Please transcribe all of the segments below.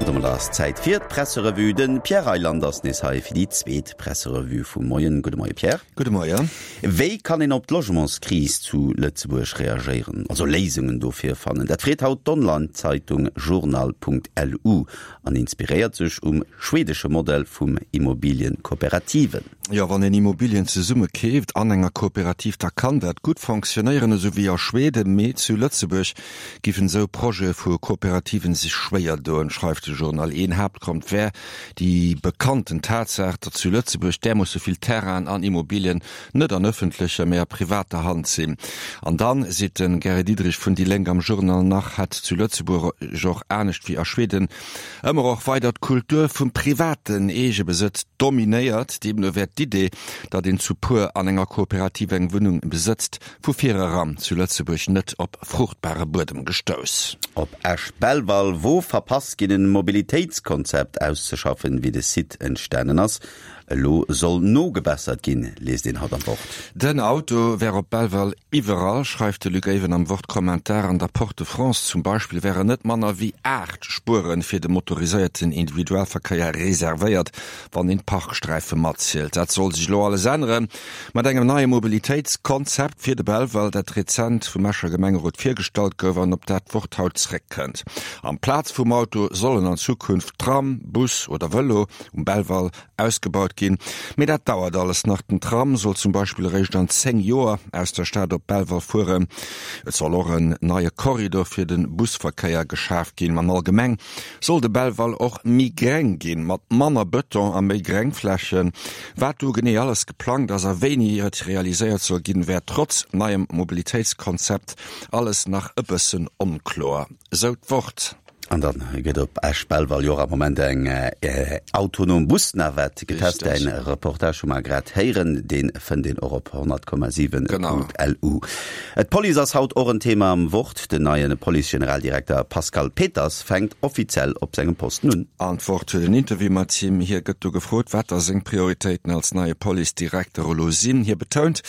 Domat ass Zäit fir d'Presserevue. De Pierre Reyland ass nees hei fir déi zweet Presserevue vum Moien. Gudde Moie Pierre. Gudde Moien. Wéi kann een op d'Logementskris zu Lëtzebuerg reagéieren, also Léisungen dofir fannen? Dat freet haut d'Online-Zeitung Journal.lu an inspiréiert sech um schwedesche Modell vum Immobilienkooperativen. Jo, wann een Immobilien zesumme keeft an enger Kooperativ, da kann dat gutt fonctionnéieren, esou wéi a Schweden. Mee zu Lëtzebuerg giffen esou Projete vu Kooperativen sech schwéier doen, schreift de Journal. Een Haaptgrond wär déi bekannten Tatsaach, datt zu Lëtzebuerg därmoosse vill Terrainen an Immobilien net an ëffentlecher, mee a privater Hand sinn. An dann, seet de Gary Diderich vun déi Lénk am Journal nach, hätt zu Lëtzebuerg och, anescht wéi a Schweden, ëmmer och weider d'Kultur vum privaten Eegebesëtz dominéiert. Deemno wär d'Idee, datt een zu puer an enger Kooperativ eng Wunnung besëtzt, vu vireran zu Lëtzebuerg net op fruchtbare Buedem gestouss. Op Esch-Belval wor verpasst ginn en Mobilitéitskonzept auszeschaffen, wéi de Site entstanen ass. Elo soll nogebessert ginn, liest een haut am Wort. Den Auto wär op Belval iwwerall, schreift de Luc Ewen am Wort-Kommentar. An der Porte de France zum Beispill wären net manner wéi 8 Spuere fir de motoriséierten Individualverkéier reservéiert, wann een d'Parksträife matzielt. Dat soll sech elo alles ännere mat engem neie Mobilitéitskonzept fir de Belval, dat rezent vum Escher Gemengerot virgestallt gouf an op dat d'Wort haut zréckkënnt. Amplaz vum Auto sollen an Zukunft Tram, Bus oder Vëlo um Belval ausgebaut ginn. Mee dat dauert alles nach. Den Tram soll zum Beispill eréischt an 10 Joer aus der Stad op Belval fueren. Et soll och en neie Korridor fir de Busverkéier geschaf ginn. An allgemeng soll de Belval och méi gréng ginn, mat manner Bëton a méi Gréngflächen. Wat do genee alles geplangt ass a wéini et realiséiert soll ginn, wär trotz neiem Mobilitéitskonzept alles nach e bëssen onkloer, sou d'Wort. An dann gëtt op Esch-Belval jo och am Moment eng autonom Busnavette getest. Däin Reportage hu mer grad héieren, dee fënnt een och op 100,7.lu. D'Police ass haut och en Thema am Wort. Den neie Police-Generaldirekter Pascal Peters fänkt offiziell op sengem Posten un. An d'Wort huet en Interview mat him. Hie gëtt do gefrot, wat da seng Prioritéiten als neie Police-Direkter elo sinn. Hie betount,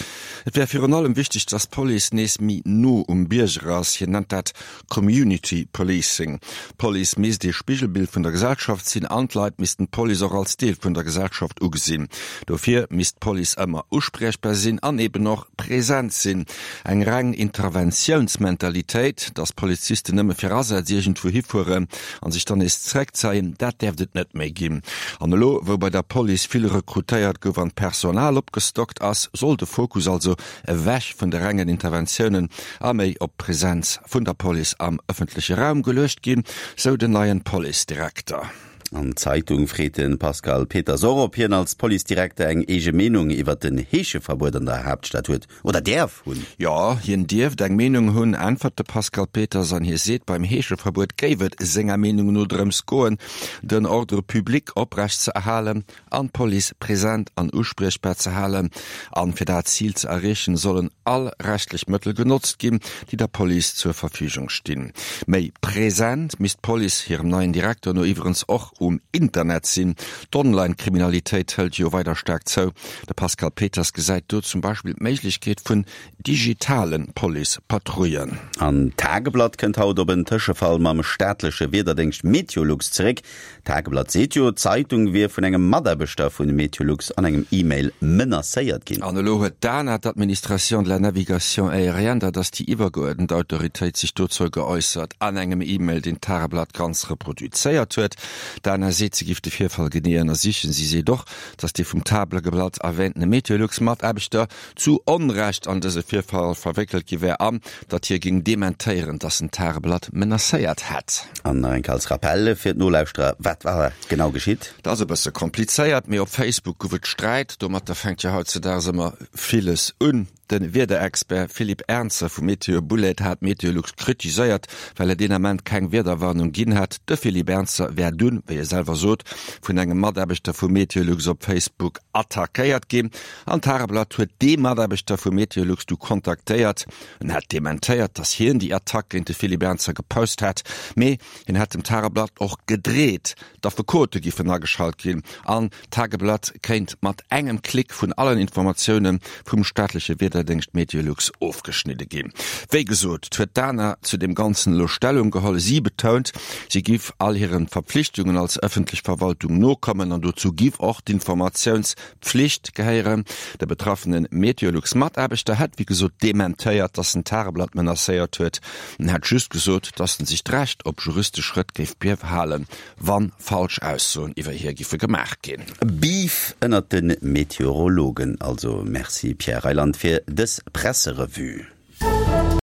et wär virun allem wichteg, datt d'Police nees méi no um Bierger ass. Hien nennt dat Community Policing, D'Police misst ee Spigelbild vun der Gesellschaft sinn an d'Leit missten d'Police och als Deel vun der Gesellschaft ugesinn. Dofir misst d'Police ëmmer uspriechbar sinn an eben och present sinn. Eng reng Interventiounsmentalitéit, dass Polizisten nëmme fir Asätz iergendwou hifueren an sech dann nees zeréckzeien, dat däerft et net méi ginn. An elo, wou bei der Police vill rekrutéiert gouf an d'Personal opgestockt ass, soll de Fokus also ewech vun de rengen Interventiounen a méi op d'Presenz vun der Police am ëffentleche Raum geluecht ginn, sou den neien Policedirekter. An d'Zeitung freet de Pascal Peters och, ob hien als Policedirekter eng eege Meenung iwwert den Heescheverbuet an der Haaptstad huet oder däerf hunn. Jo, hien dierft eng Meenung hunn, äntwert de Pascal Peters an hie seet, beim Heescheverbuet géif et senger Meenung no drëms goen, den Ordre public oprecht ze erhalen an d'Police present an uspriechbar ze halen. An fir dat Zil ze erreechen, sollen all rechtlech Mëttel genotzt ginn, déi der Police zur Verfügung stinn. Méi present misst d'Police hirem neien Direkter no iwwerens och um Internet sinn. D'Online-Kriminalitéit hëlt jo weider staark zou. De Pascal Peters gesäit do zum Beispill d'Méiglechkeet vun digitale Police-Patrouillen. An d'Tageblatt kënnt haut op en Tëschefall mam staatleche Wiederdéngscht Meteolux zeréck. D'Tageblatt seet jo, d'Zeitung wier vun engem Mataarbechter vun Meteolux an engem E-Mail menacéiert ginn. An elo huet d'ANA, d'Administration de la Navigation Aérienne, dat ass déi iwwergeuerdent Autoritéit, sech dozou geäussert an engem E-Mail, deen d'Tageblatt ganz reproduzéiert huet. D'ANA seet, se giff de Virfall genee ënnersichen. Si seet och, datt dee vum Tageblatt erwähntene Meteolux-Mataarbechter zu Onrecht an dëse Virfall verwéckelt gi wär an datt hie géing dementéieren, datt en d'Tageblatt menacéiert hätt. An nach eng Kéier als Rappell fir d'Nolauschterer, Wat war genau geschitt? Dat ass e bësse komplizéiert, mee op Facebook gouf et Sträit. Domatter fänkt jo hautzedaags ëmmer villes un. De Wiederexpert Philippe Ernzer vu Météo Boulaide hat Meteolux kritiséiert, well et deen Ament keng Wiederwarnung ginn hätt. De Philippe Ernzer wär dunn, wéi e selwer sot, vun engem Mataarbechter vu Meteolux op Facebook attackéiert ginn. An d'Tageblatt huet dee Mataarbechter vu Meteolux du kontaktéiert. En hätt dementéiert, datt hien déi Attack géint de Philippe Ernzer gepost hätt, mee hien hätt dem Tageblatt och gedreet, d'Affekote giffen ageschalt ginn an d'Tageblatt kéint mat engem Klick vun allen Informatioune vum staatleche Wiederdéngscht. Wiederdéngscht Meteolux ofgeschnidde ginn. Wéi gesot huet d'ANA zu deem Ganzen elo Stellung geholl. Si betount, si giff all hiren Verpflichtungen als ëffentlech Verwaltung nokommen an dozou giff och d'Informatiounspflicht gehéieren. De betraffene Meteolux-Mataarbechter hätt wéi gesot dementéiert, datt en d'Tageblatt menacéiert huet. En hätt just gesot, datt en sech d'Recht op juristesch Schrëtt géif behalen, wann falsch Aussoen iwwer hie giffe gemaach ginn. Beef ënnert de Meteorologen also. Merci Pierre Reyland fir dës Presserevue.